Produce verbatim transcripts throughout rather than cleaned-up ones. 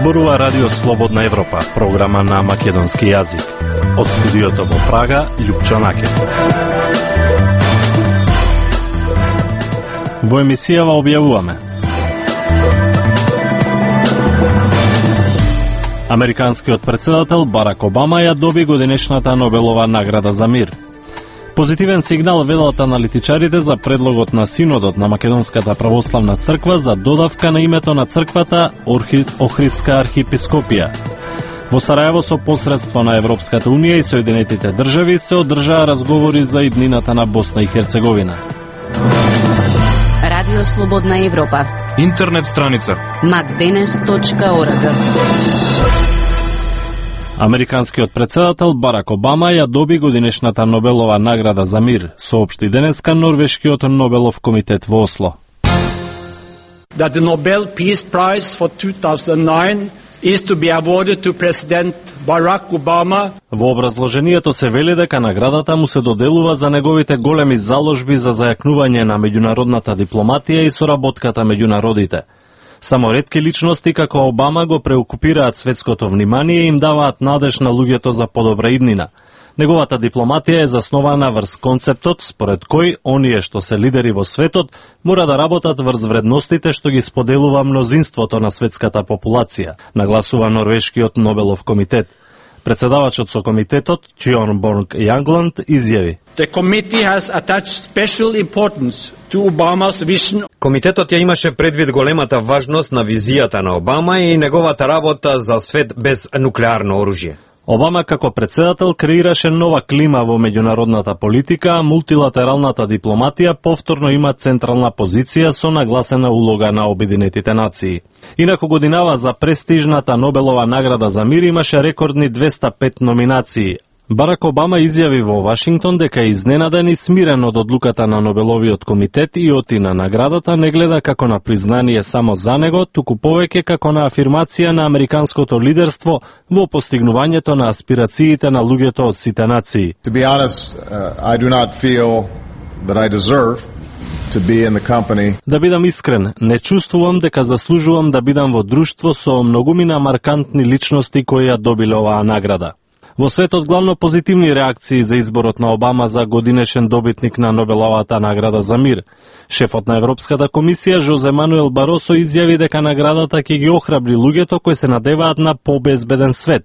Зборува Радио Слободна Европа, програма на македонски јазик. Од студиото во Прага, Љупчо Наке. Во емисијава објавуваме: американскиот претседател Барак Обама ја доби годинешната Нобелова награда за мир. Позитивен сигнал велат аналитичарите за предлогот на Синодот на Македонската православна црква за додавка на името на црквата Охридска архиепископија. Во Сарајево со посредство на Европската унија и Соединетите држави се одржаа разговори за иднината на Босна и Херцеговина. Радио Слободна Европа. Интернет страница макденес точка орг. Американскиот претседател Барак Обама ја доби годинешната Нобелова награда за мир, соопшти денеска Норвешкиот Нобелов комитет во Осло. That the Nobel Peace Prize for two thousand nine is to be awarded to President Barack Obama. Во образложението се вели дека наградата му се доделува за неговите големи заложби за зајакнување на меѓународната дипломатија и соработката меѓу народите. Само ретки личности како Обама го преокупираат светското внимание и им даваат надеж на луѓето за подобра иднина. Неговата дипломатија е заснована врз концептот според кој оние што се лидери во светот мора да работат врз вредностите што ги споделува мнозинството на светската популација, нагласува Норвешкиот Нобелов комитет. Председавачот со комитетот, Тјорн Борг Јангланд, изјави: The committee has attached special importance to Obama's vision. Комитетот ја имаше предвид големата важност на визијата на Обама и неговата работа за свет без нуклеарно оружје. Обама како председател креираше нова клима во меѓународната политика, а мултилатералната дипломатија повторно има централна позиција со нагласена улога на Обединетите нации. Инаку годинава за престижната Нобелова награда за мир имаше рекордни двеста пет номинации. Барак Обама изјави во Вашингтон дека е изненаден и смирен од одлуката на Нобеловиот комитет и оти на наградата не гледа како на признание само за него, туку повеќе како на афирмација на американското лидерство во постигнувањето на аспирациите на луѓето од сите нации. To be honest, uh, I do not feel that I deserve to be in the company. Да бидам искрен, не чувствувам дека заслужувам да бидам во друштво со многумина маркантни личности кои ја добиле оваа награда. Во светот главно позитивни реакции за изборот на Обама за годинешен добитник на Нобеловата награда за мир. Шефот на Европската комисија Жозе Мануел Баросо изјави дека наградата ќе ги охрабри луѓето кои се надеваат на побезбеден свет.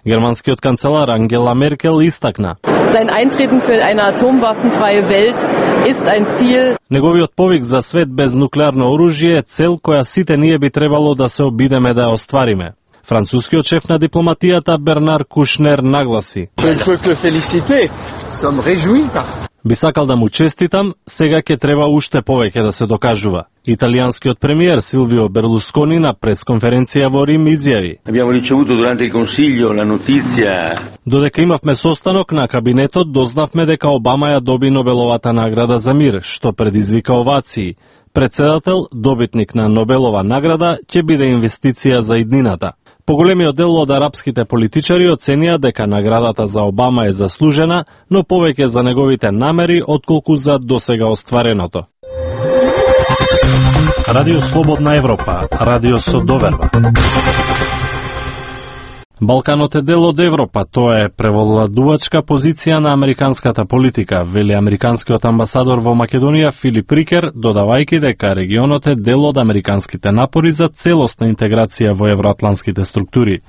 Германскиот канцелар Ангела Меркел истакна: Sein Eintreten für eine atomwaffenfreie Welt ist ein Ziel. Неговиот повик за свет без нуклеарно оружје е цел која сите ние би требало да се обидеме да ја оствариме. Францускиот шеф на дипломатијата Бернар Кушнер нагласи: Би сакал да му честитам, сега ќе треба уште повеќе да се докажува. Италијанскиот премиер Силвио Берлускони на пресконференција во Рим изјави: Додека имавме состанок на кабинетот, дознавме дека Обама ја доби Нобеловата награда за мир, што предизвика овации. Председател, добитник на Нобелова награда, ќе биде инвестиција за иднината. Поголемиот дел од арапските политичари оценија дека наградата за Обама е заслужена, но повеќе за неговите намери отколку за досега оствареното. Радио Слободна Европа, радио со доверба. Балканот е дел од Европа, тоа е превладувачка позиција на американската политика, вели американскиот амбасадор во Македонија Филип Рикер, додавајќи дека регионот е дел од американските напори за целосна интеграција во евроатланските структури.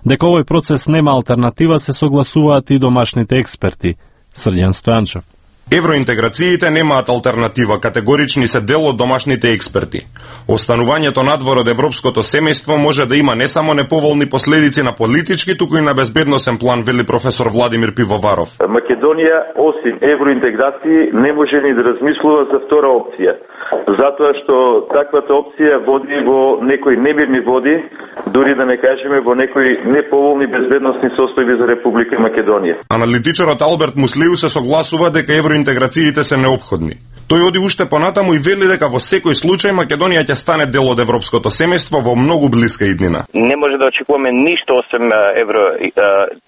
Дека овој процес нема алтернатива се согласуваат и домашните експерти. Срđan Стојанчев: Евроинтеграциите немаат алтернатива, категорични се дел од домашните експерти. Останувањето надвор од европското семејство може да има не само неповолни последици на политички, туку и на безбедносен план, вели професор Владимир Пивоваров. Македонија, осим евроинтеграции, не може ни да размислува за втора опција. Затоа што таквата опција води во некои немирни води, дури да не кажеме во некои неповолни безбедносни состојби за Република Македонија. Аналитичарот Алберт Муслиу се согласува дека евроинтеграциите се неопходни. Тој оди уште понатаму и вели дека во секој случај Македонија ќе стане дел од европското семејство во многу блиска иднина. Не може да очекуваме ништо освен евро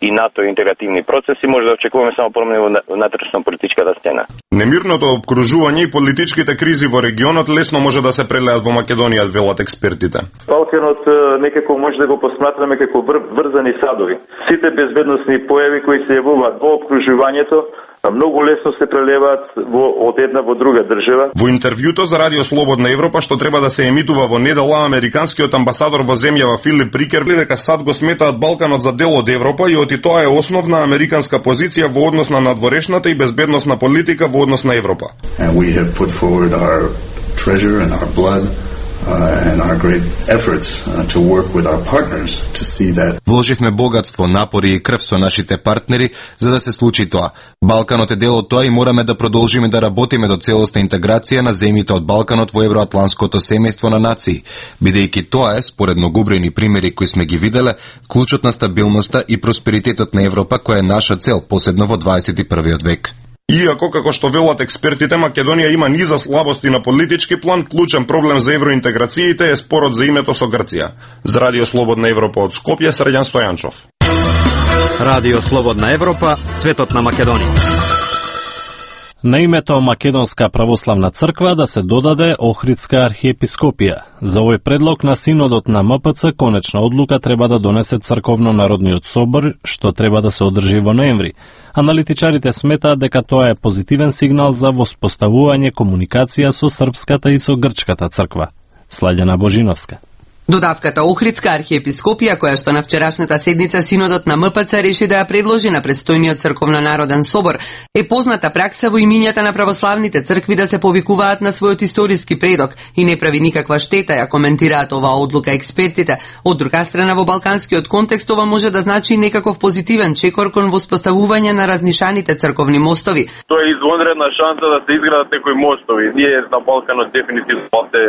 и НАТО интегративни процеси, може да очекуваме само промени во внатрешно-политичката сцена. Немирното обкружување и политичките кризи во регионот лесно може да се прелеат во Македонија, велат експертите. Балканот некако може да го посматраме како врзани садови. Сите безбедносни појави кои се јавуваат во обкружувањето многу лесно се прелеваат во, од една во друга држава. Во интервјуто за Радио Слободна Европа, што треба да се емитува во недела, американскиот амбасадор во земјава Филип Рикер вели дека САД го сметаат Балканот за дел од Европа и оти тоа е основна американска позиција во однос на надворешната и безбедносна политика во однос на Европа. And we have put forward our treasure and our blood Uh, and our great efforts uh, to work with our partners to see that. Вложивме богатство, напори и крв со нашите партнери за да се случи тоа. Балканот е дел од тоа и мораме да продолжиме да работиме до целосна интеграција на земјите од Балканот во евроатланското семејство на нации, бидејќи тоа е, според многобројни примери кои сме ги виделе, клучот на стабилноста и просперитетот на Европа, која е наша цел, посебно во дваесет и првиот век. Иако, како што велат експертите, Македонија има низа слабости на политички план, клучен проблем за евроинтеграциите е спорот за името со Грција. За Радио Слободна Европа од Скопје, Срđan Стојанчов. Радио Слободна Европа, светот на Македонија. На името Македонска православна црква да се додаде Охридска архиепископија. За овој предлог на Синодот на М П Ц конечна одлука треба да донесе Црковно-народниот собор, што треба да се одржи во ноември. Аналитичарите сметаат дека тоа е позитивен сигнал за воспоставување комуникација со српската и со грчката црква. Сладјана Божиновска. Додавката Охридска архиепископија, која што на вчерашната седница Синодот на М П Ц реши да ја предложи на предстојниот Црковно-народен собор, е позната пракса во имињата на православните цркви да се повикуваат на својот историски предок и не прави никаква штета, ја коментираат оваа одлука експертите. Од друга страна, во балканскиот контекст ова може да значи некаков позитивен чекор кон воспоставување на разнишаните црковни мостови. Тоа е извонредна шанса да се изградат некои мостови. Ние на Балканот дефинитивно се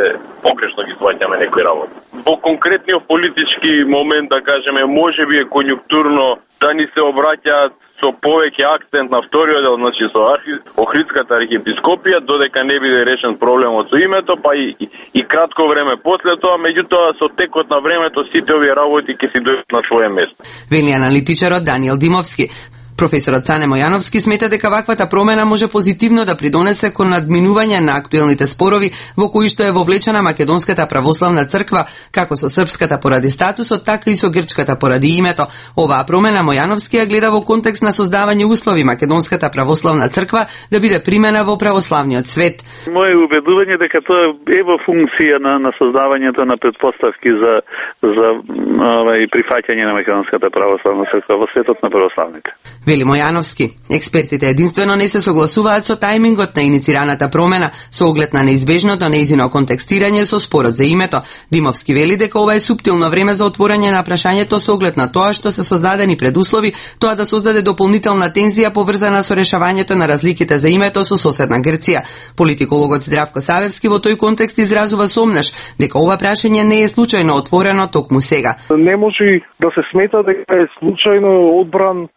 погрешно ги сваќаме некои работи. Во конкретниот политички момент, да кажеме, може би е конјунктурно да ни се обраќаат со повеќе акцент на вториот дел, значи со архи... Охридската архиепископија, додека не биде решен проблемот со името, па и, и, и кратко време после тоа, меѓутоа со текот на времето сите овие работи ќе си дојдат на своје место. Вели аналитичарот Даниел Димовски. Професорот Цане Мојановски смета дека ваквата промена може позитивно да придонесе кон надминување на актуелните спорови во кои што е вовлечена Македонската православна црква, како со српската поради статусот, така и со грчката поради името. Оваа промена Мојановски ја гледа во контекст на создавање услови Македонската православна црква да биде примена во православниот свет. Моје убедување дека тоа е во функција на, на создавањето на предпоставки за за овај прифаќање на Македонската православна црква во светот на православните. Вели Мојановски, експертите единствено не се согласуваат со тајмингот на иницираната промена со оглед на неизбежното нејзино контекстирање со спорот за името. Димовски вели дека ова е суптилно време за отворање на прашањето со оглед на тоа што се создадени предуслови тоа да создаде дополнителна тензија поврзана со решавањето на разликите за името со соседна Грција. Политикологот Здравко Савевски во тој контекст изразува сомнеш дека ова прашање не е случајно отворено токму сега. Не може да се смета дека е случајно одбран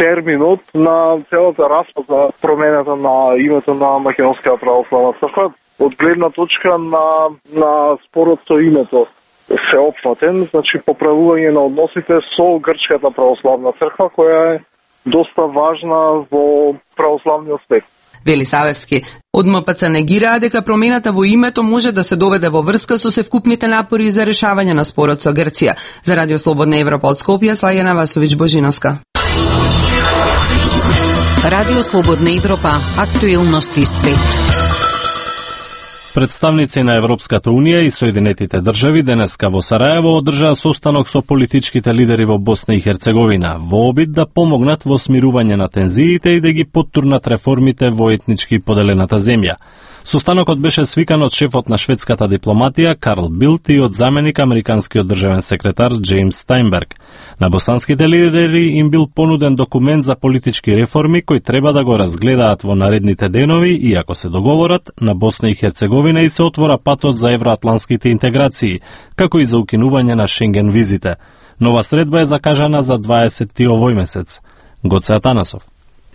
терминот на целата распад за промената на името на Македонската православна црква од гледна точка на на спорот со името сеопфатен, значи поправување на односите со грчката православна црква која е доста важна во православниот свет. Вели Савевски. Од М П Ц негираа дека промената во името може да се доведе во врска со севкупните напори за решавање на спорот со Грција. За Радио Слободна Европа од Скопје, Сладјана Васовиќ Божиновска. Радио Слободна Европа, актуелности свет. Представници на Европската Унија и Соединетите држави денеска во Сараево одржаа состанок со политичките лидери во Босна и Херцеговина во обид да помогнат во смирување на тензиите и да ги поттурнат реформите во етнички поделената земја. Состанокот беше свикан од шефот на шведската дипломатија Карл Билт и од заменик американскиот државен секретар Джеймс Стајнберг. На босанските лидери им бил понуден документ за политички реформи кои треба да го разгледаат во наредните денови и ако се договорат, на Босна и Херцеговина и се отвора патот за евроатланските интеграции, како и за укинување на Шенген визите. Нова средба е закажана за дваесети овој месец. Гоце Атанасов.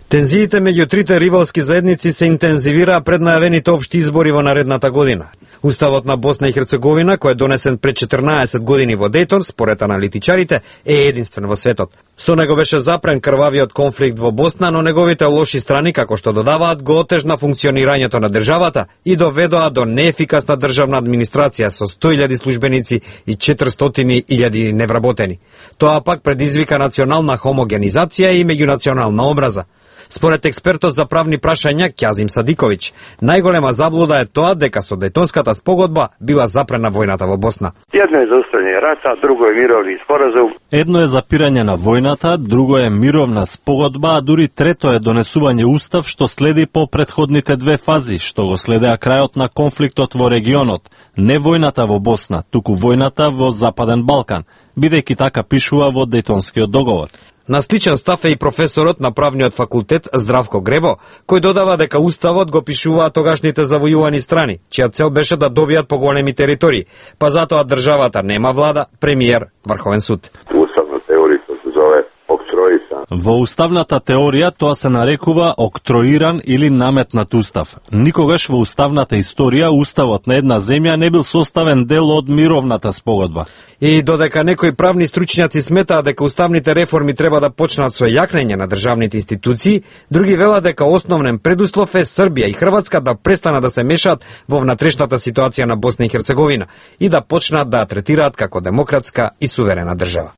Тензиите меѓу трите ривалски заедници се интензивираа пред најавените општи избори во наредната година. Уставот на Босна и Херцеговина, кој е донесен пред четрнаесет години во Дејтон, според аналитичарите, е единствен во светот. Со него беше запрен крвавиот конфликт во Босна, но неговите лоши страни, како што додаваат, го отежна функционирањето на државата и доведоа до неефикасна државна администрација со сто илјади службеници и четиристотини илјади невработени. Тоа пак предизвика национална хомогенизација и меѓунационална омраза. Според експертот за правни прашања Ќазим Садиковиќ, најголема заблуда е тоа дека со Дејтонската спогодба била запрена војната во Босна. Едно е зауставување рата, друго е мировни споразум. Едно е запирање на војната, друго е мировна спогодба, а дури трето е донесување устав што следи по претходните две фази, што го следеа крајот на конфликтот во регионот, не војната во Босна, туку војната во Западен Балкан, бидејќи така пишува во Дејтонскиот договор. На сличен став е и професорот на правниот факултет Здравко Гребо, кој додава дека уставот го пишуваа тогашните завојувани страни, чија цел беше да добијат поголеми територии, па затоа државата нема влада, премиер, Врховен суд. Уставна теорија се зове октроисан. Во уставната теорија тоа се нарекува октроиран или наметнат устав. Никогаш во уставната историја уставот на една земја не бил составен дел од мировната спогодба. И додека некои правни стручњаци сметаат дека уставните реформи треба да почнат со јакнење на државните институции, други велат дека основен предуслов е Србија и Хрватска да престанат да се мешаат во внатрешната ситуација на Босна и Херцеговина и да почнат да ја третираат како демократска и суверена држава.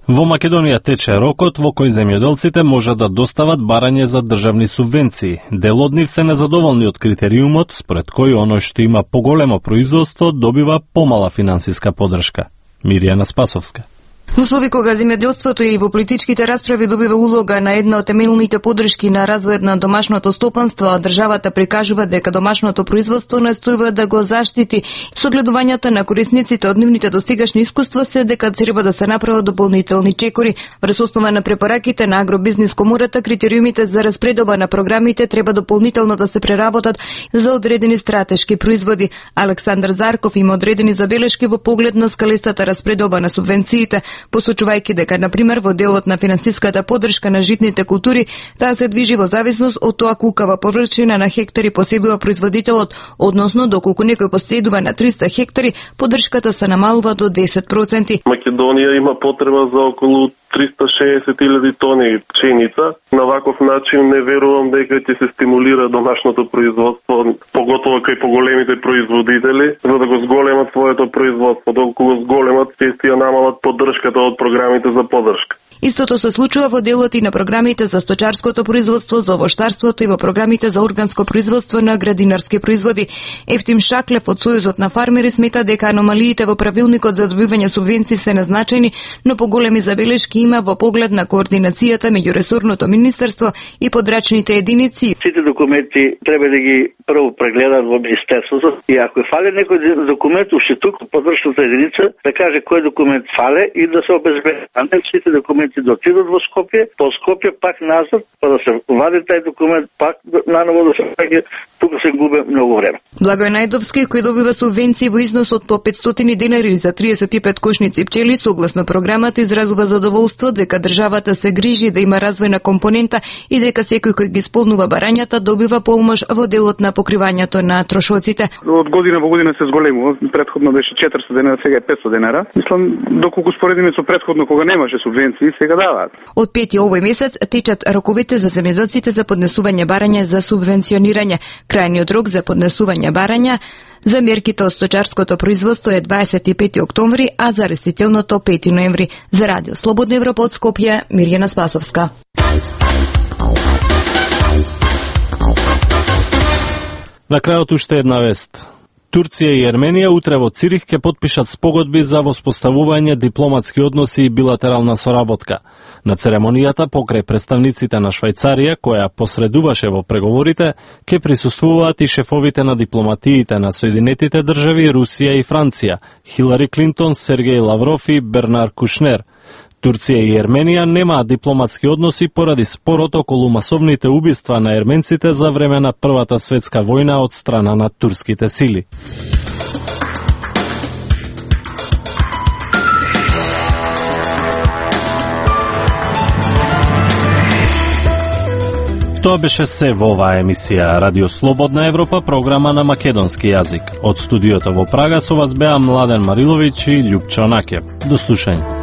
Во Македонија тече рокот во кој земјоделците можат да достават барање за државни субвенции. Дел од нив се незадоволни од критериумот, според кој оној што има поголемо производство добива помала финансиска поддршка. Мирјана Спасовска. Во услови кога земјоделството и во политичките расправи добива улога на една од темелните поддршки на развојот на домашното стопанство, а државата прикажува дека домашното производство настојува да го заштити. Согледувањата на корисниците од нивните достигашни искуства се дека треба да се направат дополнителни чекори. Врз основа на препораките на Агробизнис комората, критериумите за распределба на програмите треба дополнително да се преработат за одредени стратешки производи. Александар Зарков има одредени забелешки во поглед на скалистата распределба на субвенциите, посочувајќи дека, например, во делот на финансиската поддршка на житните култури, таа се движи во зависност од тоа колкава површина на хектари поседува производителот, односно доколку некој поседува на триста хектари, поддршката се намалува до десет проценти. Македонија има потреба за околу триста и шеесет илјади тони пшеница. На ваков начин не верувам дека ќе се стимулира домашното производство, поготово кај поголемите производители, за да го зголемат своето производство. Доколку го зголемат, ќе ја намалат поддршката од програмите за поддршка. Истото се случува во делот и на програмите за сточарското производство, за овоштарството и во програмите за органско производство на градинарски производи. Ефтим Шаклев од Сојузот на фармери смета дека аномалиите во правилникот за добивање субвенции се незначајни, но поголеми забелешки има во поглед на координацијата меѓу ресорното министерство и подрачните единици. Сите документи треба да ги прво прегледаат во министерството и ако фале некој документ, уште туку подрачната единица да каже кој документ фале и да се обезбеди. А не сите документи да отидат во Скопје, по Скопје пак назад, па да се вади тај документ, пак наново да се праќа, тука се губи многу време. Благој Најдовски, кој добива субвенции во износ од по петстотини денари за триесет и пет кошници пчели, согласно програмата изразува задоволство дека државата се грижи да има развојна компонента и дека секој кој ги исполнува барањата добива помош во делот на покривањето на трошоците. Од година во година се зголемува, претходно беше четиристо денара, сега е петстотини денара. Мислам, доколку споредиме со претходно кога немаше субвенции, сега даваат. Од пети овој месец течат роковите за земјоделците за поднесување барања за субвенционирање. Крајниот рок за поднесување барања за мерките од сточарското производство е дваесет и пети октомври, а за растителното пети ноември. За Радио Слободна Европа од Скопје, Мирјана Спасовска. На крајот уште една вест. Турција и Ерменија утре во Цирих ќе потпишат спогодби за воспоставување дипломатски односи и билатерална соработка. На церемонијата покрај представниците на Швајцарија, која посредуваше во преговорите, ќе присуствуваат и шефовите на дипломатиите на Соединетите држави, Русија и Франција, Хилари Клинтон, Сергеј Лавров и Бернар Кушнер. Турција и Ерменија немаат дипломатски односи поради спорот околу масовните убиства на ерменците за време на Првата светска војна од страна на турските сили. Тоа беше се во оваа емисија Радио Слободна Европа, програма на македонски јазик. Од студиото во Прага со вас беа Младен Мариловиќ и Љупчо Накев. До слушање.